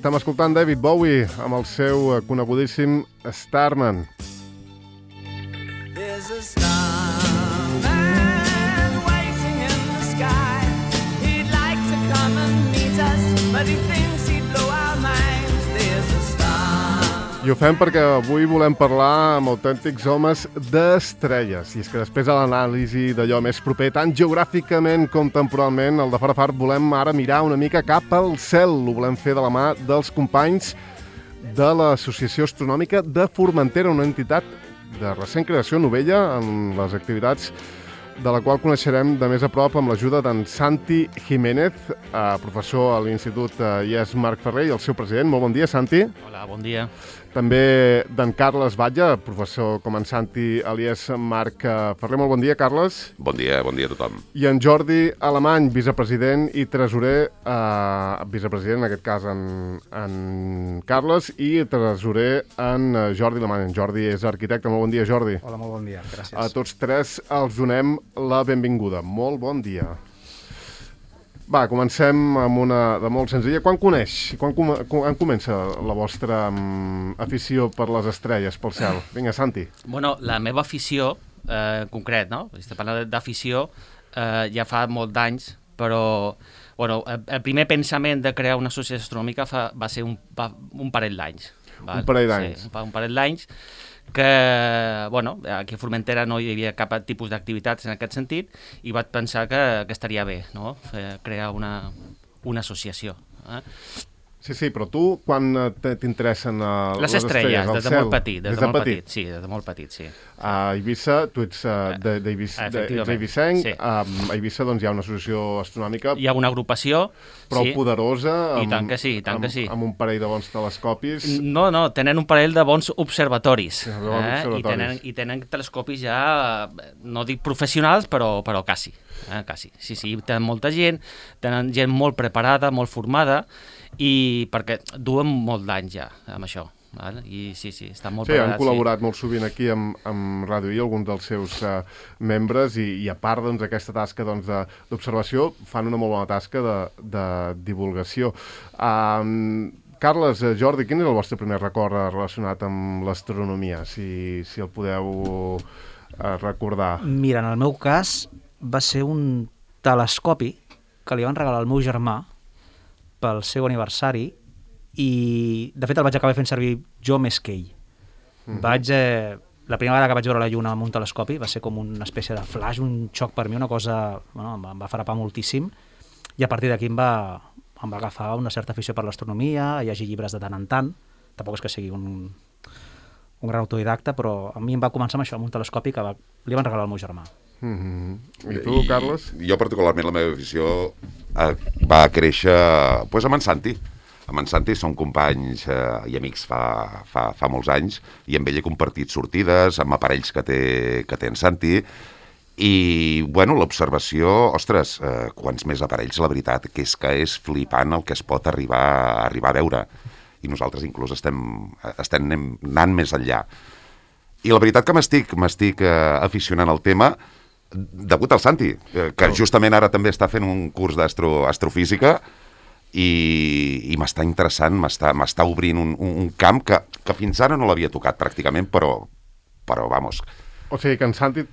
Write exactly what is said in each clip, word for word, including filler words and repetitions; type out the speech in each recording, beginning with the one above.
estem escoltant David Bowie amb el seu conegudíssim Starman. There's a starman waiting in the sky. He'd like to come and meet us, but he thinks he'd blow our minds. There's a star. I ho fem perquè avui volem parlar amb autèntics homes d'estrelles. I és que després de l'anàlisi d'allò més proper, tant geogràficament com temporalment, el de fora fart, volem ara mirar una mica cap al cel. Ho volem fer de la mà dels companys de l'Associació Astronòmica de Formentera, una entitat de recent creació novella en les activitats de la qual coneixerem de més a prop amb l'ajuda d'en Santi Jiménez, eh, professor a l'Institut eh, I E S Marc Ferrer i el seu president. Molt bon dia, Santi. Hola, bon dia. També d'en Carles Batlle, professor com en Santi a l'I E S Marc Ferrer. Molt bon dia, Carles. Bon dia, bon dia a tothom. I en Jordi Alemany, vicepresident i tresorer, eh, vicepresident en aquest cas en, en Carles, i tresorer en Jordi Alemany. En Jordi és arquitecte. Molt bon dia, Jordi. Hola, molt bon dia, gràcies. A tots tres els donem la benvinguda. Molt bon dia. Va, comencem amb una de molt senzilla. Quan coneix, quan, com, quan comença la vostra um, afició per les estrelles, pel cel? Vinga, Santi. Bueno, la meva afició, eh, en concret, no? Estic parlant d'afició, eh, ja fa molt d'anys, però bueno, el, el primer pensament de crear una associació astronòmica fa, va ser un, va, un parell d'anys. Un parell d'anys. Sí, un parell d'anys, que, bueno, aquí a Formentera no hi havia cap tipus d'activitats en aquest sentit i vaig pensar que, que estaria bé, no?, crear una, una associació. Eh? Sí, sí, però tu quan t'interessen uh, les, les estrelles, estrelles des de molt petit, des, des de molt petit. petit, sí, des de molt petit, sí. A Eivissa, tu ets uh, d'Eivissenc, sí. um, a Eivissa doncs hi ha una associació astronòmica. Hi ha una agrupació, prou sí. poderosa, amb, I tant que sí, i tant amb, que sí. amb un parell de bons telescopis. No, no, tenen un parell de bons observatoris, sí, bons eh? observatoris. I, tenen, i tenen telescopis ja, no dic professionals, però, però quasi, eh? quasi. Sí, sí, tenen molta gent, tenen gent molt preparada, molt formada, i perquè duen molt d'anys ja amb això, val? I sí, sí, estan molt sí, preparats. Han col·laborat sí. molt sovint aquí amb, amb Ràdio I, alguns dels seus uh, membres, i, i a part doncs, d'aquesta tasca doncs, d'observació, fan una molt bona tasca de, de divulgació. Um, Carles, Jordi, quin és el vostre primer record relacionat amb l'astronomia, si, si el podeu uh, recordar? Mira, en el meu cas va ser un telescopi que li van regalar al meu germà pel seu aniversari i, de fet, el vaig acabar fent servir jo més que ell. Mm-hmm. Vaig, eh, la primera vegada que vaig veure la lluna amb un telescopi va ser com una espècie de flash, un xoc per mi, una cosa, bueno, em va, em va frapar moltíssim, i a partir d'aquí em va, em va agafar una certa afició per l'astronomia, a llegir llibres de tant en tant. Tampoc és que sigui un, un gran autodidacta, però a mi em va començar amb això, amb un telescopi que va, li van regalar al meu germà. Mm-hmm. I tu, Carles? I, jo, particularment, la meva afició eh, va créixer pues, amb en Santi. Amb en Santi som companys eh, i amics fa, fa, fa molts anys, i amb ell he compartit sortides amb aparells que té, que té en Santi, i, bueno, l'observació, ostres, eh, quants més aparells, la veritat, que és que és flipant el que es pot arribar, arribar a veure. I nosaltres inclús estem, estem anant més enllà. I la veritat que m'estic m'estic eh, aficionant al tema degut al Santi, que justament ara també està fent un curs d'astrofísica i, i m'està interessant, m'està obrint un, un camp que, que fins ara no l'havia tocat pràcticament, però, però vamos. O sigui que en Santi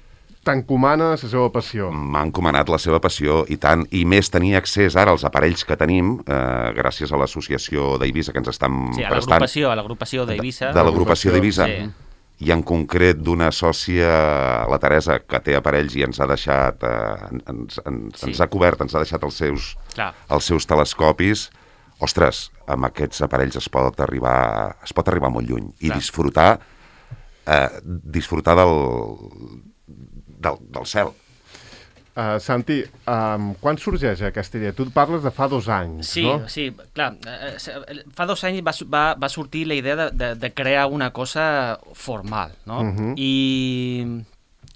t'encomana la seva passió. M'ha encomanat la seva passió, i tant, i més tenir accés ara als aparells que tenim, eh, gràcies a l'associació d'Eivissa que ens estan sí, a prestant. Sí, a l'agrupació d'Eivissa. De, de l'agrupació d'Eivissa. Sí. I en concret d'una sòcia, la Teresa, que té aparells i ens ha deixat, eh, ens, ens, sí. ens ha cobert, ens ha deixat els seus, els seus telescopis. Ostres, amb aquests aparells es pot arribar, es pot arribar molt lluny i Clar. disfrutar, eh, disfrutar del, del, del cel. Uh, Santi, um, quan sorgeix aquesta idea? Tu parles de fa dos anys, sí, no? Sí, clar. Fa dos anys va, va, va sortir la idea de, de, de crear una cosa formal, no? Uh-huh. I,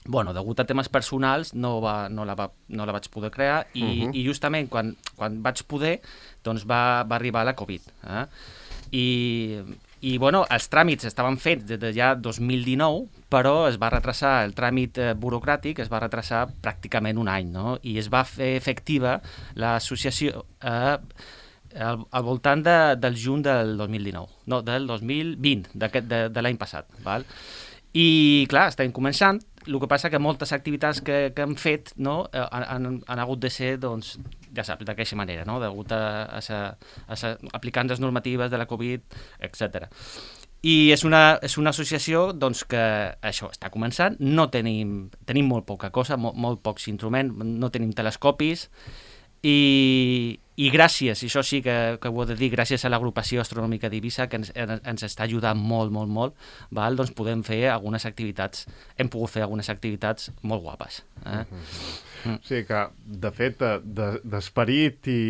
bueno, degut a temes personals no, va, no, la, va, no la vaig poder crear i, uh-huh. i justament quan, quan vaig poder, doncs va, va arribar la Covid. Eh? I... I, bueno, els tràmits estaven fets des de ja dos mil dinou, però es va retrasar, el tràmit eh, burocràtic es va retrasar pràcticament un any, no? I es va fer efectiva l'associació eh, al, al voltant de, del juny del dos mil dinou, no, del dos mil vint, de, de l'any passat, val? I, clar, estem començant, el que passa que moltes activitats que, que hem fet, no, han, han hagut de ser, doncs, ja saps, d'aquesta manera, no, degut a, a, a, a aplicant les normatives de la Covid, etcètera. I és una, és una associació doncs, que això està començant, no tenim, tenim molt poca cosa, molt, molt pocs instruments, no tenim telescopis, i, i gràcies, i això sí que, que ho he de dir, gràcies a l'agrupació astronòmica d'Eivissa, que ens, ens està ajudant molt, molt, molt, val? Doncs podem fer algunes activitats, hem pogut fer algunes activitats molt guapes. Eh? Mm-hmm. Mm. O sigui que, de fet, d'esperit i,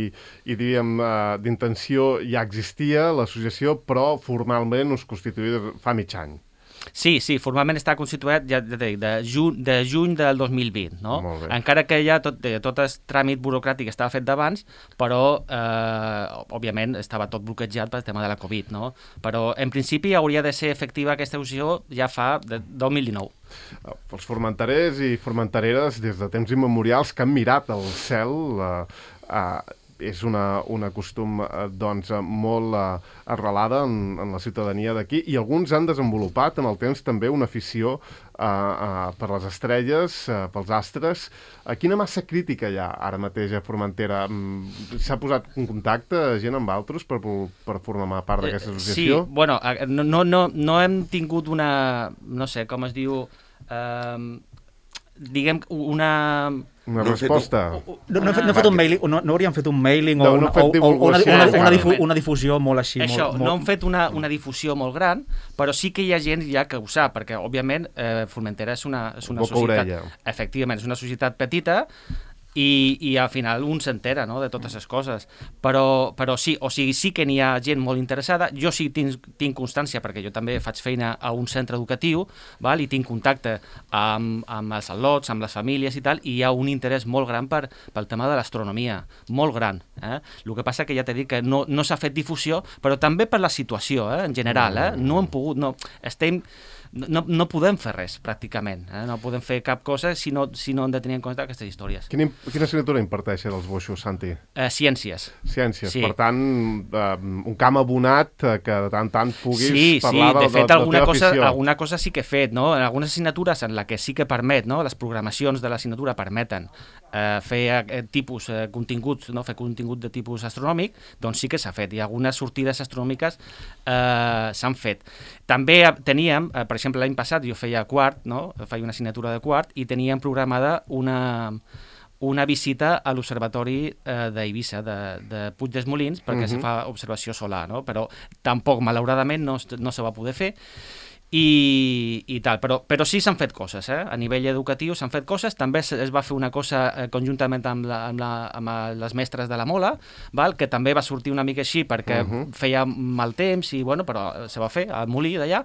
i diríem, d'intenció ja existia l'associació, però formalment us constituïa fa mig any. Sí, sí, formalment està constituït ja de, de, juny, de juny del dos mil vint, no? Encara que ja tot, tot el tràmit burocràtic estava fet d'abans, però, eh, òbviament, estava tot bloquejat pel tema de la Covid, no? Però, en principi, hauria de ser efectiva aquesta associació ja fa de dos mil dinou. Els formenterers i formentereres, des de temps immemorials, que han mirat el cel... Eh, eh, és una, una costum eh, doncs, molt eh, arrelada en, en la ciutadania d'aquí, i alguns han desenvolupat en el temps també una afició eh, eh, per les estrelles, eh, pels astres. Eh, quina massa crítica hi ha ara mateix a Formentera? S'ha posat en contacte gent amb altres per, per formar part d'aquesta associació? Sí, bueno, no, no, no hem tingut una, no sé, com es diu... Eh, diguem, una... Una resposta. No, no, no, fet, no, fet un mailing, no, no hauríem fet un mailing no, o, una, no o, o una, una, una, difu, una difusió molt així. Això, molt, no hem fet una, una difusió molt gran, però sí que hi ha gent ja que ho sap, perquè, òbviament, eh, Formentera és una, és una societat... Efectivament, és una societat petita, i, i al final un s'entera, no?, de totes les coses, però, però sí, o sigui, sí que n'hi ha gent molt interessada. Jo sí tinc, tinc constància, perquè jo també faig feina a un centre educatiu, val? I tinc contacte amb, amb els al·lots, amb les famílies i tal, i hi ha un interès molt gran per, pel tema de l'astronomia, molt gran. Eh? El que passa que ja t'he dit que no, no s'ha fet difusió, però també per la situació, eh? En general, eh? No hem pogut, no, estem... No, no podem fer res, pràcticament. Eh? No podem fer cap cosa si no, si no hem de tenir en compte aquestes històries. Quina, quina assignatura imparteixen els boixos, Santi? Eh, ciències. Ciències. Sí. Per tant, eh, un camp abonat eh, que de tant en tant puguis sí, parlar sí. De, de, fet, de, alguna de cosa, afició. alguna cosa sí que he fet, no? En algunes assignatures en la que sí que permet, no? Les programacions de l'assignatura permeten eh, fer eh, tipus eh, continguts, no? Fer contingut de tipus astronòmic, doncs sí que s'ha fet. I algunes sortides astronòmiques eh, s'han fet. També teníem, eh, per exemple, l'any passat jo feia quart, no? Feia una assignatura de quart i teníem programada una, una visita a l'observatori eh, d'Eivissa, de, de Puig dels Molins, perquè uh-huh. se fa observació solar, no? Però tampoc, malauradament, no, no se va poder fer. I, i tal, però, però sí s'han fet coses, eh? A nivell educatiu s'han fet coses, també es va fer una cosa eh, conjuntament amb, la, amb, la, amb les mestres de la Mola, val? Que també va sortir una mica així perquè uh-huh. feia mal temps, i, bueno, però se va fer al molí d'allà.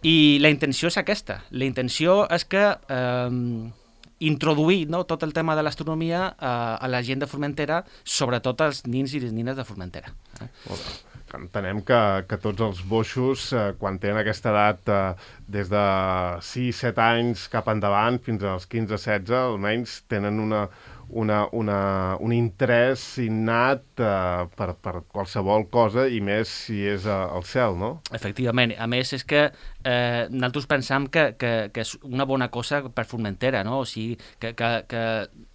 I la intenció és aquesta. La intenció és que eh, introduir, no, tot el tema de l'astronomia eh, a la gent de Formentera, sobretot als nins i les nines de Formentera. Eh? Entenem que, que tots els boixos, eh, quan tenen aquesta edat eh, des de sis set anys cap endavant fins als quinze setze, almenys tenen una, una, una, un interès innat eh, per, per qualsevol cosa, i més si és eh, al cel, no? Efectivament. A més, és que eh, nosaltres pensam que, que, que és una bona cosa per Formentera, no? O sigui, que... que, que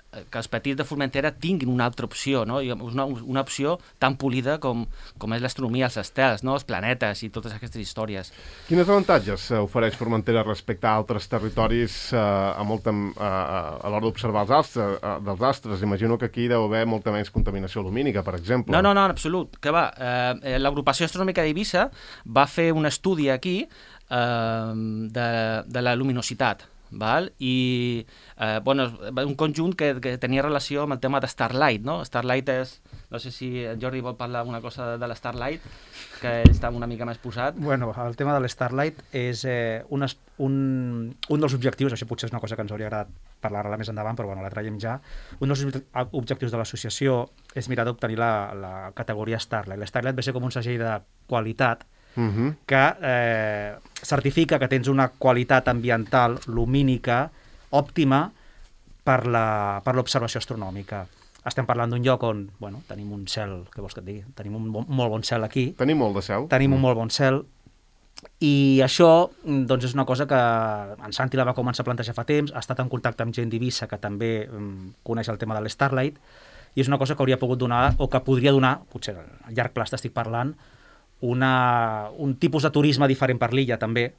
que els petits de Formentera tinguin una altra opció, no? Una, una opció tan polida com, com és l'astronomia, els estels, no? Els planetes i totes aquestes històries. Quines avantatges ofereix Formentera respecte a altres territoris eh, a, molta, eh, a l'hora d'observar els astres, eh, dels astres? Imagino que aquí deu haver molta menys contaminació lumínica, per exemple. No, no, no, en absolut. Que va, eh, l'agrupació astronòmica d'Eivissa va fer un estudi aquí eh, de, de la luminositat, val? I eh, bueno, un conjunt que, que tenia relació amb el tema de Starlight, no? Starlight és, no sé si en Jordi vol parlar alguna cosa de la Starlight, que ell està una mica més posat. Bueno, el tema de l'Starlight és eh, un, un, un dels objectius, això potser és una cosa que ens hauria agradat parlar-la més endavant, però bueno, la traiem ja. Un dels objectius de l'associació és mirar d'obtenir la, la categoria Starlight. L'Starlight va ser com un segell de qualitat Uh-huh. que eh, certifica que tens una qualitat ambiental lumínica òptima per la, per l'observació astronòmica. estem parlant d'un lloc on, bueno, tenim un cel, què vols que et digui? Tenim un bon, molt bon cel aquí. Tenim molt de cel. Tenim un molt bon cel. I això, doncs, és una cosa que en Santi la va començar a plantejar fa temps, ha estat en contacte amb gent d'Eivissa que també um, coneix el tema de l'Starlight, i és una cosa que hauria pogut donar, o que podria donar, potser a llarg plaç t'estic parlant, una, un tipus de turisme diferent per l'illa també.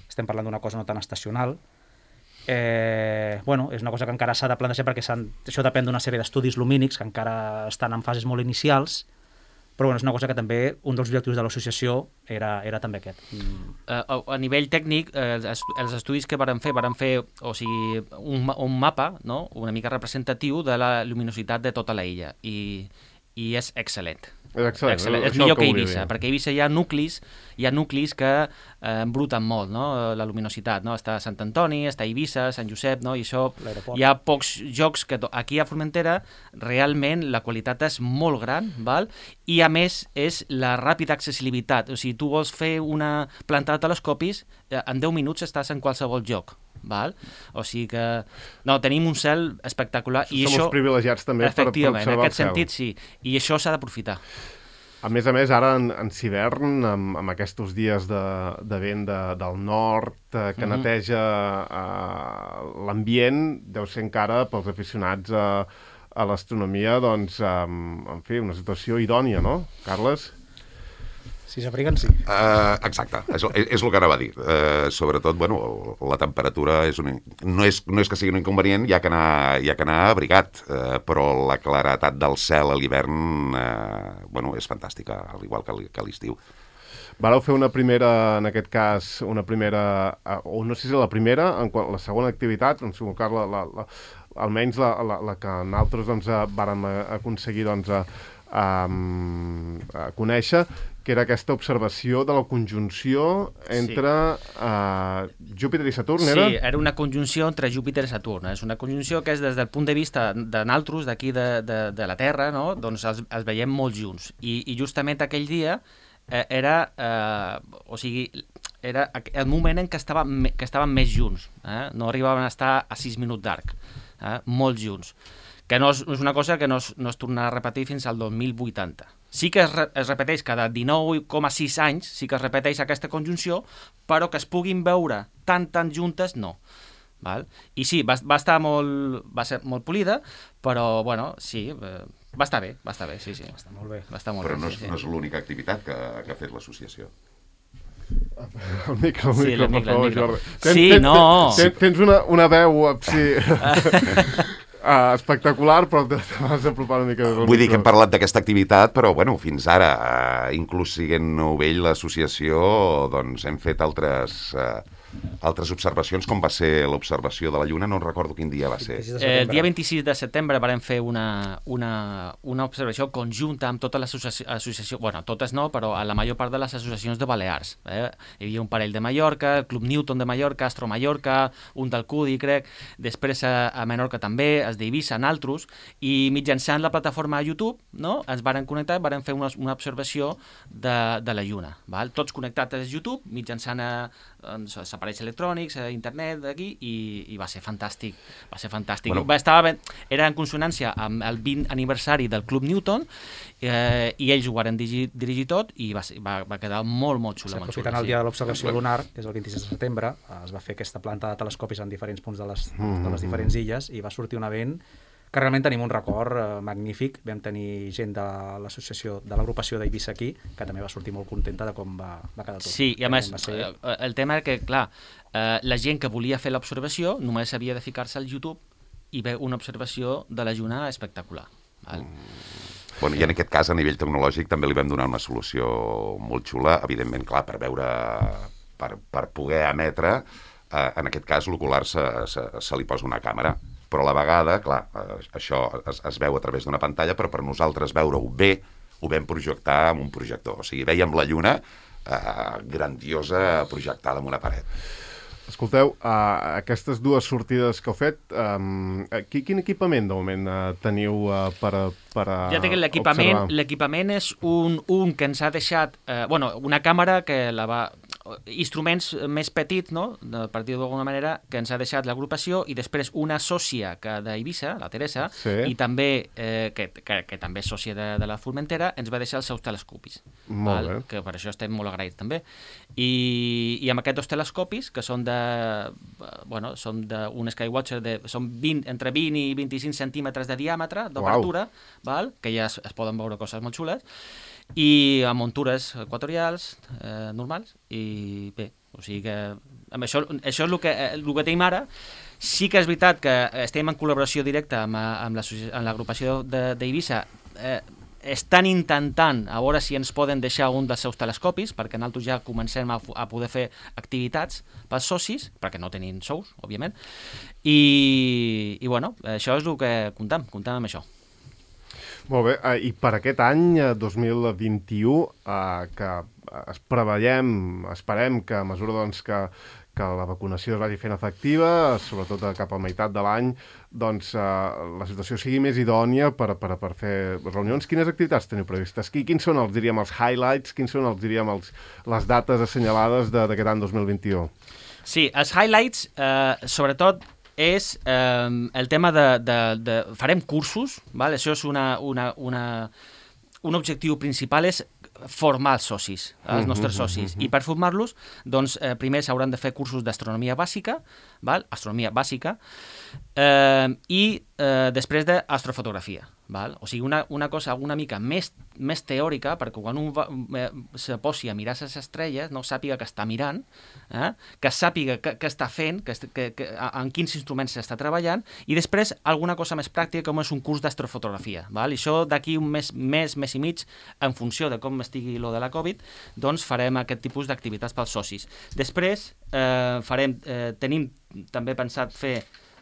Estem parlant d'una cosa no tan estacional. Eh, bueno, és una cosa que encara s'ha de plantejar perquè això depèn d'una sèrie d'estudis lumínics que encara estan en fases molt inicials, però bueno, és una cosa que també, un dels objectius de l'associació era, era també aquest. Mm. Uh, a, a nivell tècnic, eh, els, els estudis que varen fer, varen fer o sigui, un, un mapa, no?, una mica representatiu de la luminositat de tota la illa, i, i és excel·lent. És excel·lent. excel·lent. És millor que Eivissa, perquè a Eivissa hi ha nuclis, hi ha nuclis que eh, embruten molt, no?, la luminositat, no? Està Sant Antoni, està Eivissa, Sant Josep, no?, i això hi ha pocs jocs que aquí a Formentera realment la qualitat és molt gran, val? I a més és la ràpida accessibilitat, o sigui, tu vols fer una planta de telescopis, en deu minuts estàs en qualsevol lloc. Val? O sigui que no, tenim un cel espectacular. I som els privilegiats també per, per observar el cel. En aquest sentit, sí. I això s'ha d'aprofitar. A més a més, ara en, en hivern, amb, amb aquests dies de, de vent de, del nord, eh, que mm-hmm. neteja eh, l'ambient, deu ser encara pels aficionats a, a l'astronomia, doncs, eh, en fi, una situació idònia, no, Carles? Si s'abriguen, sí. Uh, exacte, és, és el que anava a dir. Uh, sobretot, bueno, la temperatura és un, no, és, no és que sigui un inconvenient, hi ha que anar, hi ha que anar abrigat, uh, però la claretat del cel a l'hivern uh, bueno, és fantàstica, al igual que l'estiu. Vareu fer una primera, en aquest cas, una primera, o no sé si la primera, en qual, la segona activitat, en segon cas, la, la, la, almenys la, la, la que nosaltres doncs, vàrem aconseguir doncs, a, a, a conèixer, que era aquesta observació de la conjunció entre sí. uh, Júpiter i Saturn, era? Sí, era una conjunció entre Júpiter i Saturn. És una conjunció que és des del punt de vista de nosaltres, d'aquí de, de, de la Terra, no? Doncs els, els veiem molt junts. I, i justament aquell dia eh, era, eh, o sigui, era el moment en què estaven, que estaven més junts. Eh? No arribaven a estar a sis minuts d'arc, eh? Molt junts. Que no és, és una cosa que no es, no es tornarà a repetir fins al dos mil vuitanta. Sí que es, re, es repeteix cada dinou coma sis anys, sí que es repeteix aquesta conjunció, però que es puguin veure tan, tan juntes, no. Val? I sí, va, va estar molt, va ser molt polida, però, bueno, sí, eh, va estar bé, va estar bé, sí, sí. Va estar molt bé. Va estar molt però bé, no és, sí, no és l'única activitat que, que ha fet l'associació. El micro, el sí, micro, per favor, Jordi. Tens, sí, tens, no! Tens, tens una, una veu, sí... Uh, espectacular, però t'has d'apropar una mica... Vull dir que hem parlat d'aquesta activitat, però bueno, fins ara, uh, inclús siguent novell l'associació, doncs hem fet altres, uh, altres observacions, com va ser l'observació de la Lluna, no recordo quin dia va ser. Eh, el dia vint-i-sis de setembre vam fer una, una, una observació conjunta amb totes les associacions, bueno, totes no, però a la major part de les associacions de Balears. Eh? Hi havia un parell de Mallorca, el Club Newton de Mallorca, Astro Mallorca, un del Cudi, crec, després a, a Menorca també, es d'Eivissa, naltros, i mitjançant la plataforma YouTube, no?, ens varen connectar i varen fer una, una observació de, de la Lluna. Val? Tots connectats a YouTube, mitjançant a, doncs, aparells electrònics, a internet, d'aquí, i, i va ser fantàstic. Va ser fantàstic. Bueno. Va estar, era en consonància amb el vint aniversari del Club Newton, eh, i ells ho varen dirigir, dirigir tot, i va, ser, va, va quedar molt, molt xulo. Aprofitant el dia de l'observació lunar, que és el vint-i-sis de setembre, es va fer aquesta planta de telescopis en diferents punts de les, de les diferents illes, i va sortir un event que realment tenim un record eh, magnífic. Vam tenir gent de l'associació, de l'agrupació d'Eivissa aquí, que també va sortir molt contenta de com va, va quedar tot. Sí, i a més, ser... el tema era que, clar, eh, la gent que volia fer l'observació només havia de ficar-se al YouTube i veure una observació de la Lluna espectacular. Val? Bueno, i en aquest cas, a nivell tecnològic, també li vam donar una solució molt xula, evidentment, clar, per veure, per, per poder emetre, eh, en aquest cas l'ocular se, se, se li posa una càmera, però a la vegada, clar, eh, això es, es veu a través d'una pantalla, però per nosaltres veure-ho bé, ho vam projectar amb un projector. O sigui, veiem la Lluna eh, grandiosa projectada en una paret. Escolteu, uh, aquestes dues sortides que heu fet, um, qui, quin equipament de moment uh, teniu uh, per, per uh, ja té que l'equipament, l'equipament és un, un que ens ha deixat, eh, bueno, una càmera que la va, instruments més petits, no? Per dir-ho d'alguna manera, que ens ha deixat l'agrupació, i després una sòcia d'Eivissa, la Teresa, Sí. i també, eh, que, que, que també és sòcia de, de la Formentera, ens va deixar els seus telescopis. Molt bé. Que per això estem molt agraïts també. I, i amb aquests dos telescopis, que són de, bueno, són d'un Skywatcher, de, són vint, entre vint i vint-i-cinc centímetres de diàmetre, d'obertura, val? Que ja es, es poden veure coses molt xules, i amb muntures equatorials eh, normals, i bé, o sigui que amb això, això és el que, el que tenim ara. Sí que és veritat que estem en col·laboració directa amb, amb l'agrupació d'Eivissa, eh, estan intentant a veure si ens poden deixar un dels seus telescopis, perquè nosaltres ja comencem a, a poder fer activitats pels socis, perquè no tenim sous, òbviament, i, i bueno, això és el que comptem, comptem amb això. Molt bé, eh, i per aquest any, eh, dos mil vint-i-u, eh, que es preveiem, esperem que a mesura doncs, que, que la vacunació es vagi fent efectiva, sobretot cap a la meitat de l'any, doncs eh, la situació sigui més idònia per, per, per fer reunions. Quines activitats teniu previstes? Quins són els, diríem, els highlights, quins són els, diríem, els, les dates assenyalades d'aquest any dos mil vint-i-u? Sí, els highlights, eh, sobretot, és eh, el tema de, de, de... Farem cursos, val? Això és una, una, una, un objectiu principal, és formar els socis, els nostres socis. I per formar-los, doncs, eh, primer s'hauran de fer cursos d'astronomia bàsica, val? Astronomia bàsica, eh, i eh, després d'astrofotografia. Val? O sigui, una, una cosa una mica més, més teòrica, perquè quan un va, eh, se posi a mirar les estrelles, no sàpiga que està mirant, eh? Que sàpiga què està fent, que, que, que, en quins instruments s'està treballant, i després alguna cosa més pràctica, com és un curs d'astrofotografia. Val? I això d'aquí un mes, mes, mes i mig, en funció de com estigui lo de la Covid, doncs farem aquest tipus d'activitats pels socis. Després eh, farem, eh, tenim també pensat fer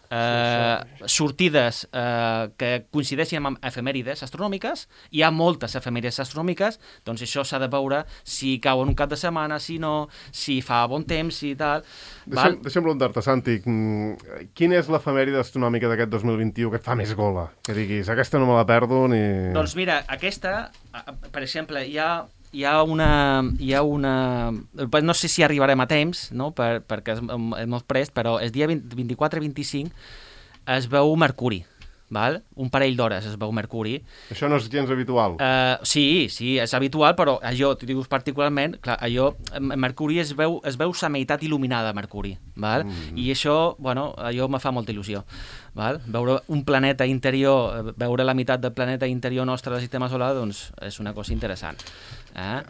Eh, sortides eh, que coincideixin amb efemèrides astronòmiques. Hi ha moltes efemèrides astronòmiques, doncs això s'ha de veure si cau en un cap de setmana, si no, si fa bon temps i tal. Deixa'm, deixa'm preguntar-te, Santi, quina és l'efemèride astronòmica d'aquest dos mil vint-i-u que et fa més gola? Que diguis, aquesta no me la perdo ni... Doncs mira, aquesta, per exemple, hi ha hi ha una... Hi ha una no sé si arribarem a temps, no? per, perquè és, és molt prest, però el dia vint-i-quatre vint-i-cinc es veu Mercuri, val? Un parell d'hores es veu Mercuri. Això no és gens habitual? Uh, sí, sí, és habitual, però allò, t'ho dius particularment, clar, allò, Mercuri es veu, es veu sa meitat il·luminada, Mercuri, val? Mm. I això, bueno, allò me fa molta il·lusió. Val? Veure un planeta interior, veure la meitat del planeta interior nostre del sistema solar, doncs és una cosa interessant. Eh?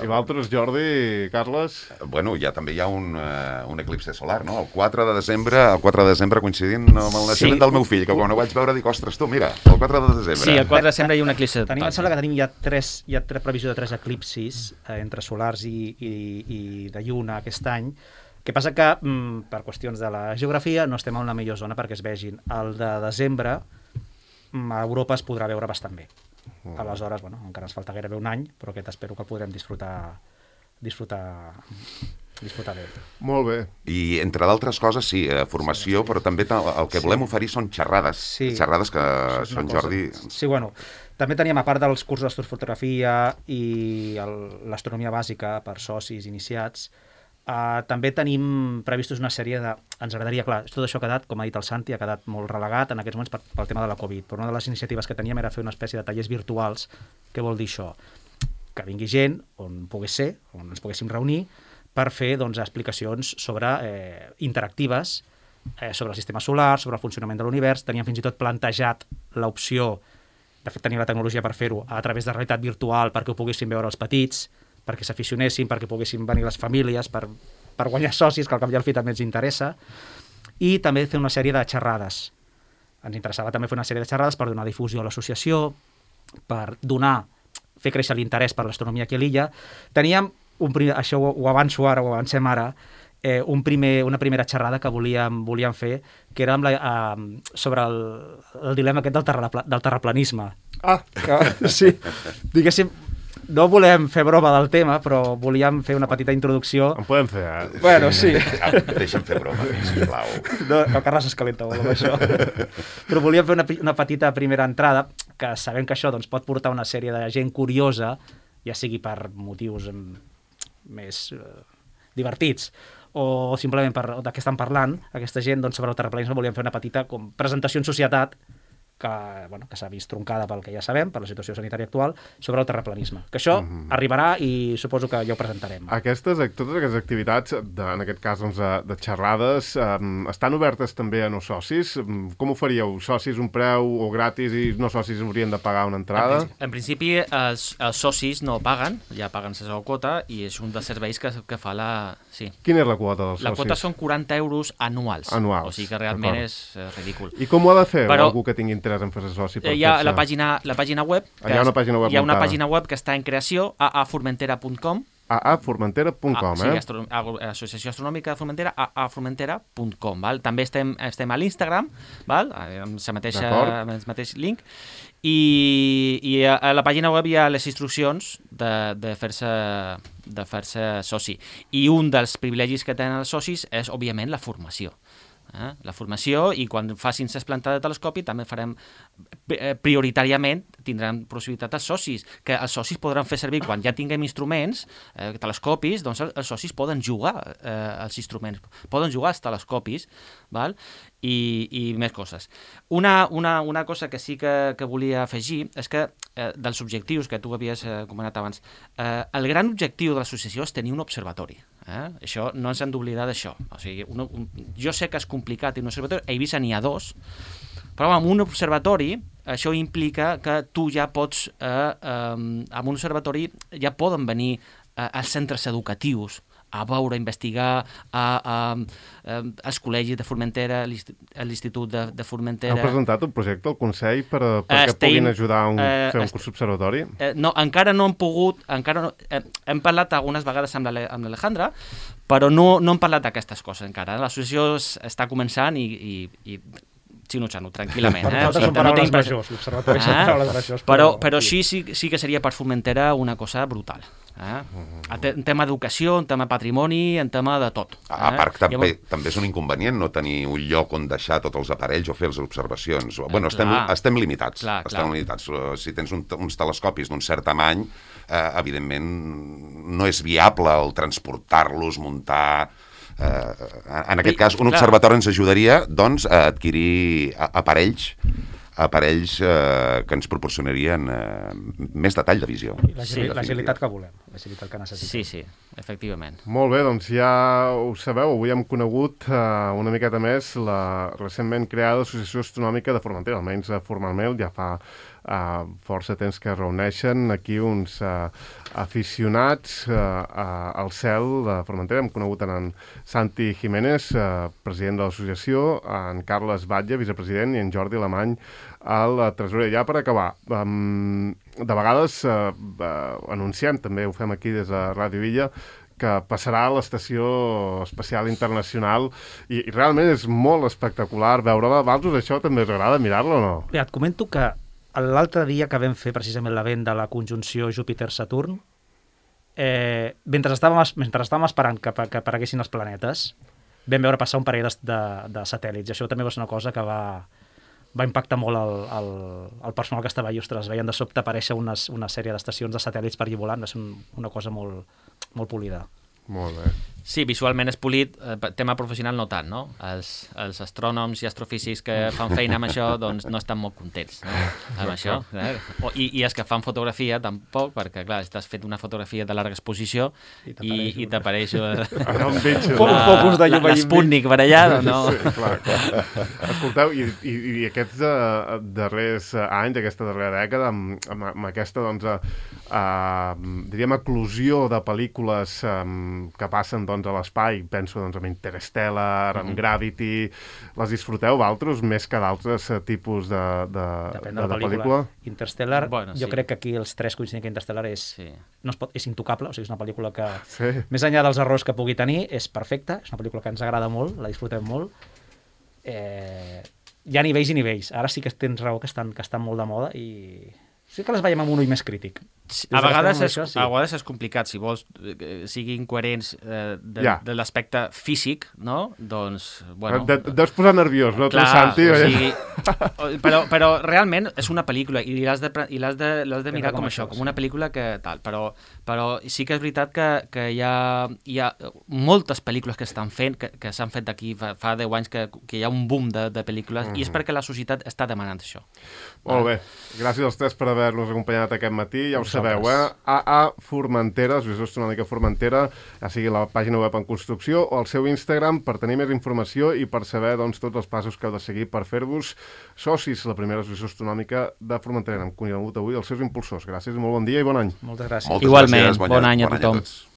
I vosaltres, Jordi, Carles? Bueno, ja també hi ha un, uh, un eclipse solar, no? El quatre de desembre, el quatre de desembre coincidint amb el naixement sí. del meu fill, que quan ho vaig veure dic, ostres, tu, mira, el quatre de desembre. Sí, el quatre de desembre hi ha un eclipse. Tenim, em sembla que tenim ja tres, hi ha tres previsió de tres eclipsis eh, entre solars i, i, i de lluna aquest any. El que passa que, mm, per qüestions de la geografia, no estem en la millor zona perquè es vegin. El de desembre, mm, a Europa es podrà veure bastant bé. Mm. Aleshores, bueno, encara ens falta gairebé un any, però aquest espero que el podrem disfrutar, disfrutar, disfrutar bé. Molt bé. I, entre d'altres coses, sí, eh, formació, sí, però també el que volem sí. oferir són xerrades. Sí. Xerrades que són, Jordi... Sí, bueno, també teníem, a part dels cursos d'astrofotografia i l'astronomia bàsica per socis iniciats, Uh, també tenim previstos una sèrie de... Ens agradaria, clar, tot això ha quedat, com ha dit el Santi, ha quedat molt relegat en aquests moments per, pel tema de la Covid, però una de les iniciatives que teníem era fer una espècie de tallers virtuals. Què vol dir això? Que vingui gent on pogués ser, on ens poguéssim reunir, per fer doncs, explicacions sobre eh, interactives eh, sobre el sistema solar, sobre el funcionament de l'univers. Teníem fins i tot plantejat l'opció, de fet tenim la tecnologia per fer-ho, a través de realitat virtual perquè ho poguessin veure els petits, perquè s'aficionessin, perquè poguessin venir les famílies, per, per guanyar socis, que al cap i al fi també ens interessa, i també fer una sèrie de xerrades. Ens interessava també fer una sèrie de xerrades per donar difusió a l'associació, per donar, fer créixer l'interès per l'astronomia aquí a l'illa. Teníem, un primer, això ho, ho avanço ara, ho avancem ara, eh, un primer, una primera xerrada que volíem, volíem fer, que era amb la, eh, sobre el, el dilema aquest del, terrapla, del terraplanisme. Ah! Que, sí, diguéssim, no volem fer broma del tema, però volíem fer una petita introducció. En podem fer, eh? Bueno, sí. Deixa'm fer broma, sisplau. No, el Carles s'escalenta molt amb això. Però volíem fer una, una petita primera entrada, que sabem que això doncs, pot portar una sèrie de gent curiosa, ja sigui per motius més, divertits, o simplement per, de què estan parlant, aquesta gent, doncs, sobre el terraplanisme volíem fer una petita com, presentació en societat que, bueno, que s'ha vist troncada pel que ja sabem, per la situació sanitària actual, sobre el terraplanisme. Que això mm-hmm. arribarà i suposo que ja ho presentarem. Aquestes, totes aquestes activitats, de, en aquest cas doncs, de, de xerrades, um, estan obertes també a no socis? Com ho faríeu? Socis un preu o gratis i no socis haurien de pagar una entrada? En, en principi, els, els socis no paguen, ja paguen la seva quota i és un dels serveis que, que fa la... Sí. Quina és la quota dels la socis? La quota són quaranta euros anuals. Anuals. O sigui que realment és eh, ridícul. I com ho ha de fer Però, algú que tingui interès en fer-se soci? Per hi ha la pàgina, la pàgina web. Hi ha una pàgina web Hi ha una muntada. pàgina web que està en creació, a a formentera punt com. a a formentera punt com, ah, eh? Sí, Astro Associació Astronòmica de Formentera, a a formentera punt com, val? També estem, estem a l'Instagram, val? Amb la mateixa, amb el mateix link, i, i a, a la pàgina web hi ha les instruccions de, de fer-se de fer-se soci. I un dels privilegis que tenen els socis és, òbviament, la formació. Eh? La formació, i quan facin les plantes de telescopi també farem eh, prioritàriament tindran possibilitat els socis, que els socis podran fer servir quan ja tinguem instruments, eh, telescopis, doncs els, els socis poden jugar eh, els instruments, poden jugar els telescopis, val? I, i més coses. Una, una, una cosa que sí que, que volia afegir és que eh, dels objectius que tu havies eh, comentat abans, eh, el gran objectiu de l'associació és tenir un observatori. Eh? Això no ens hem d'oblidar d'això. O sigui, un, un, jo sé que és complicat un observatori, a Eivissa n'hi ha dos, però amb un observatori això implica que tu ja pots, eh, eh, amb un observatori ja poden venir eh, als centres educatius a veure, a investigar, a, a, a, als col·legis de Formentera, a l'Institut de, de Formentera. Heu presentat un projecte al Consell per, perquè Estem, puguin ajudar a un, eh, fer un est... curs observatori? Eh, no, encara no hem pogut, encara no, eh, hem parlat algunes vegades amb l'Alejandra, però no, no hem parlat d'aquestes coses encara. L'associació està començant i, i, i xino-xano, tranquil·lament. Eh? O sigui, són paraules majors, l'observatori són paraules majors. Però, però sí, sí, sí que seria per Formentera una cosa brutal. Eh? En tema d'educació, en tema patrimoni, en tema de tot. Eh? A part, també, Llavors... també és un inconvenient no tenir un lloc on deixar tots els aparells o fer les observacions. Eh, bueno, estem, clar. estem limitats. Clar, estem clar. limitats. Si tens un, uns telescopis d'un cert tamany, eh, evidentment no és viable el transportar-los, muntar... Eh, en aquest cas, un observatori ens ajudaria doncs, a adquirir aparells aparells eh, que ens proporcionarien eh, més detall de visió. L'agilitat que volem, l'agilitat que necessitem. Sí, sí, efectivament. Molt bé, doncs ja ho sabeu, avui hem conegut eh, una miqueta més la recentment creada Associació Astronòmica de Formentera, almenys formalment, ja fa eh, força temps que reuneixen aquí uns eh, aficionats eh, al cel de Formentera. Hem conegut en Santi Jiménez, eh, president de l'associació, en Carles Batlle, vicepresident, i en Jordi Alemany, el tresorer. Ja per acabar, um, de vegades eh, eh, anunciem, també ho fem aquí des de Ràdio Illa, que passarà a l'Estació Espacial Internacional i, i realment és molt espectacular veure-la. A vosaltres això també us agrada mirar-la o no? Bé, et comento que l'altre dia que vam fer precisament l'event de la conjunció Júpiter-Saturn, eh, mentre, estàvem, mentre estàvem esperant que, que apareguessin els planetes, vam veure passar un parell de, de, de satèl·lits, i això també va ser una cosa que va... va impactar molt el, el, el personal que estava allà. Ostres, veien de sobte aparèixer unes, una sèrie d'estacions de satèl·lits per allà volant, va ser un, una cosa molt, molt polida. Molt bé. Sí, visualment és polit, eh, tema professional no tant, no? Els, els astrònoms i astrofísics que fan feina amb això, doncs no estan molt contents, no? Amb això. Eh? O, i, I els que fan fotografia tampoc, perquè clar, estàs fent una fotografia de larga exposició i, i t'apareix l'Sputnik per allà, no? Sí, clar, clar. Escolteu, i, i, i aquests uh, darrers anys, aquesta darrera dècada, amb, amb, amb aquesta, doncs, uh, uh, diríem, eclosió de pel·lícules um, que passen, doncs, a l'espai, penso doncs, en Interstellar, en mm-hmm. Gravity, les disfruteu vosaltres més que d'altres tipus de, de, Depèn de, de la de pel·lícula. pel·lícula? Interstellar, bueno, jo sí. crec que aquí els tres coincidim que Interstellar és, sí. no es pot, és intocable, o sigui, és una pel·lícula que, sí. més enllà dels errors que pugui tenir, és perfecta, és una pel·lícula que ens agrada molt, la disfrutem molt. Eh, hi ha nivells i nivells. Ara sí que tens raó que estan, que estan molt de moda i sí que les veiem amb un ull més crític. A vegades, és, Això, sí. a vegades és complicat, si vols eh, siguin coherents eh, de, Ja. de l'aspecte físic, no? Doncs, bueno... De, deus posar nerviós, no? Tu, Clar, Santi? o oi? sigui, però, però realment és una pel·lícula i l'has de, pre- i l'has de, l'has de mirar com, com això, això, com una pel·lícula que tal, però, però sí que és veritat que, que hi, ha, hi ha moltes pel·lícules que estan fent, que, que s'han fet d'aquí fa, fa deu anys, que, que hi ha un boom de, de pel·lícules, mm-hmm. i és perquè la societat està demanant això. Molt bé. Gràcies als tres per haver-nos acompanyat aquest matí. Ja ho Vosaltres. sabeu, eh? A A Formentera, Associació Astronòmica Formentera, ja sigui la pàgina web en construcció o el seu Instagram per tenir més informació i per saber doncs, tots els passos que heu de seguir per fer-vos socis, la primera associació astronòmica de Formentera. Hem conegut avui els seus impulsors. Gràcies i molt bon dia i bon any. Moltes gràcies. Moltes Igualment, gràcies, bon any a tothom. tots.